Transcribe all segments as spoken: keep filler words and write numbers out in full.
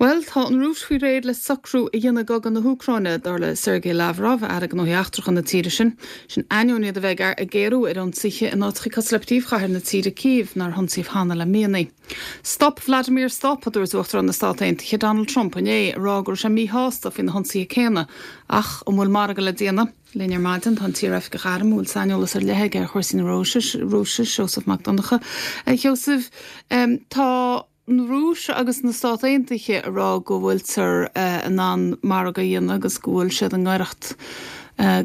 Bhuel, tá an Rúis faoi réir le socrú a dhéanamh i gcogadh na hÚcráine, dar le Sergei Lavrov, aire gnóthaí eachtracha na tíre sin. Sin ainneoin iad a bheith ag géarú ar ionsaithe in áiteacha cosúil le príomhchathair na tíre Cív, nár hionsaíodh cheana le míonna. Stop Vladimir stop, a dúirt Uachtarán na Stát Aontaithe Donald Trump inné, ag rá go raibh sé míshásta faoi na hionsaithe céanna. Ach an bhfuil margadh le déanamh? Linn ar maidin tá an t-iaroifigeach airm a bhfuil saineolas ar leith aige ar chúrsaí na Rúise, Rúise Seosamh Mac Donncha. Sheosamh, tá an Rúis agus na Stáit Aontaithe ag rá go bhfuiltear in ann margadh a dhéanamh agus go bhfuil siad i ngaireacht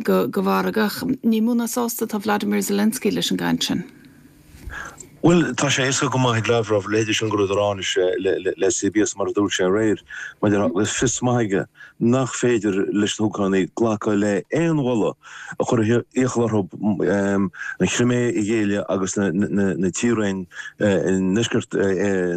go go mhargadh. Ní mó ná sásta atá Vladimir Zelensky leis an gcaint sin. Bhuel, tá sé éasca go maith ag Lavrov leithéidí sin go raibh le le C B S mar a dúirt sé aréir, mar agus fios maith aige nach féidir leis na hÚcránaigh glacadh le aon mholadh a chuir iachall orthu an Chrimé a ghéilleadh agus na tíortha ndeisceart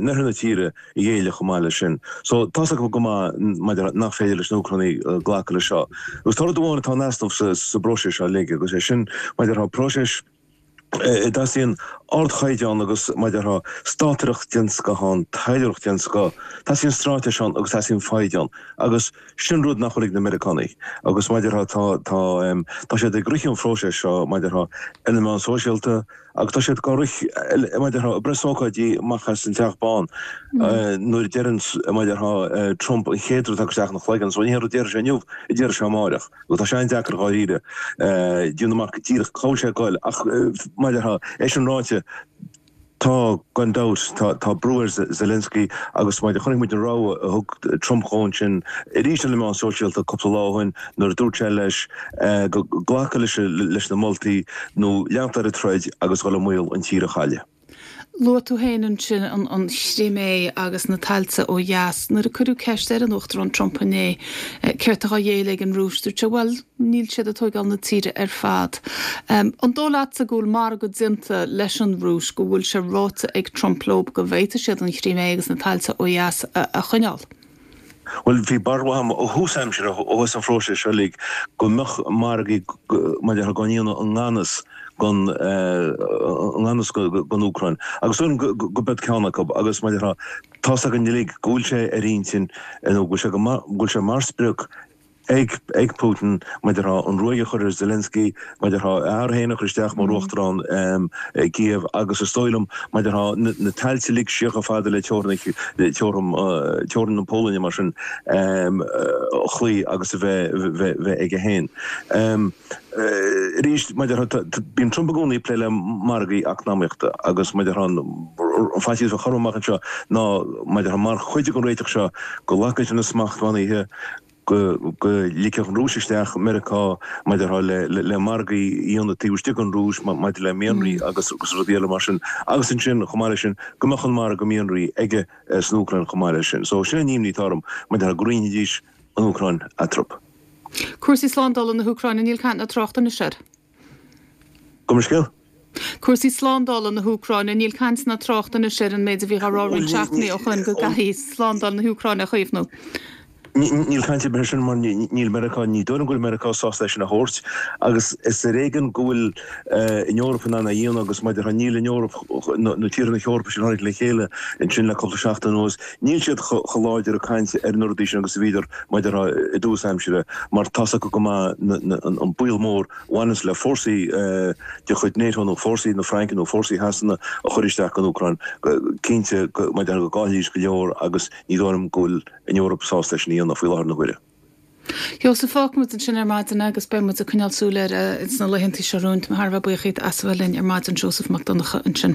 na tíre a ghéilleadh chomh maith leis sin. So tá go maith nach féidir leis na hÚcránaigh glacadh le seo. Agus tá amháin atá in easnamh sa bpróiseas seo uilig agus é sin maidir próiseas teastaíonn ardchaighdeán agus maidir státaireacht den scoth ann, taidhleoireacht den scoth, teastaíonn straitéis ann agus teastaíonn foighid ann agus sin rud nach bhfuil ag na Meiriceánaigh agus maidir tá tá tá siad ag rith an phróiseas seo maidir ar na meáin sóisialta agus tá siad go rith maidir preasócáidí amach as an Teach Bán nuair deireann maidir Trump an chéad rud isteach ina chloigeann, so ní rud deir sé inniu a deir sé amárach. Go tá sé an-deacair dáiríre déanamh amach díreach cá sé goil ach maidir é sin ráite tá gan dabht tá tá brú ar Zelensky agus maidir chonaic muid an rabhadh a thug Trump dó ansin arís ar na meáin sóisialta cúpla lá ó shin nuair a dúirt sé leis go glacadh leis leis na moltaí nó leantar ar an troid agus dhul i mbaol an tír a chailleadh. Luaigh tú féin ansin an an Chrimé agus na tailte ó dheas nuair a cuireadh ceist ar an Uachtarán Trump inné céard atá á ghéilleadh ag an Rúis dúirt sé bhuel níl siad ag tógáil na tíre ar fad. Um, an dóigh leatsa go bhfuil margadh déanta leis an Rúis go bhfuil sé ráite ag Trump leo go bhféadfaidh siad an Chrimé agus na tailte ó dheas a, a choinneáil. Well bhí barúil agam ó thús aimsire ó thús an phróisis seo uilig go mbeadh margaí maidir go ndéanadh an nganas gon nganas gon Úcráin. Agus go go bed ceann acu agus maidir tá an uilig go bhfuil sé ar intinn nó go sé go bhfuil sé mar sprioc ag ag Putin maidir an ruaig a chur ar Zelensky maidir é féin a chur isteach mar uachtarán Kiev agus is dóigh liom maidir na tailte uilig siar chomh fada le teorainn teorainn na Polainne mar sin chloí agus a bheith bheith aige féin. Arís maidir bíonn Trump i gcónaí plé le margaí eacnamaíochta agus maidir an faitíos a chur amach anseo ná maidir mar chuid den réiteach seo go nglacfaidh na smachtbhannaí go go ligfeadh an Rúis isteach Meiriceá maidir le le margaí íona taobh istigh den Rúis maidir le mianraí agus agus rudaí eile mar sin agus ansin chomh maith leis sin go mbeadh an margadh mianraí aige san Úcráin chomh maith leis sin. So sin an imní atá orm maidir go roinnfidís an Úcráin eatarthu. Cúrsaí slándála na hÚcráine níl caint ná trácht anois air. Go scéal? Cúrsaí slándála na hÚcráine níl caint ná trácht anois ar an méid a bhí á rá roinnt seachtainí ó shin go gcaithfí slándáil na hÚcráine a chaomhnú. Níl caint ar sin mar níl Meiriceá ní dóigh go bhfuil Meiriceá sásta leis sin a thabhairt agus is ar éigean go bhfuil an Eoraip in ann a dhéanamh agus maidir níl an Eoraip na tíortha na hEorpa sin tháinig le chéile ansin le cúpla seachtain anuas níl siad chomh láidir ag caint ar na rudaí sin agus a bhíodar maidir i dtús aimsire mar tá acu go maith an baol mór bhaineann le fórsaí de chuid NATO nó fórsaí na Fraince nó fórsaí Shasana a chur isteach an Úcráin cinnte maidir go gcaillfidís go leor agus ní dóigh liom go bhfuil an Eoraip sásta sin a dhéanamh faoi láthair na huaire. Sheosamh fágfaidh muid ansin ar maidin agus beidh muid ag coinneáil súil air sna laethanta seo romhainn thar bheith buíoch as a bheith linn ar maidin Seosamh Mac Donncha ansin.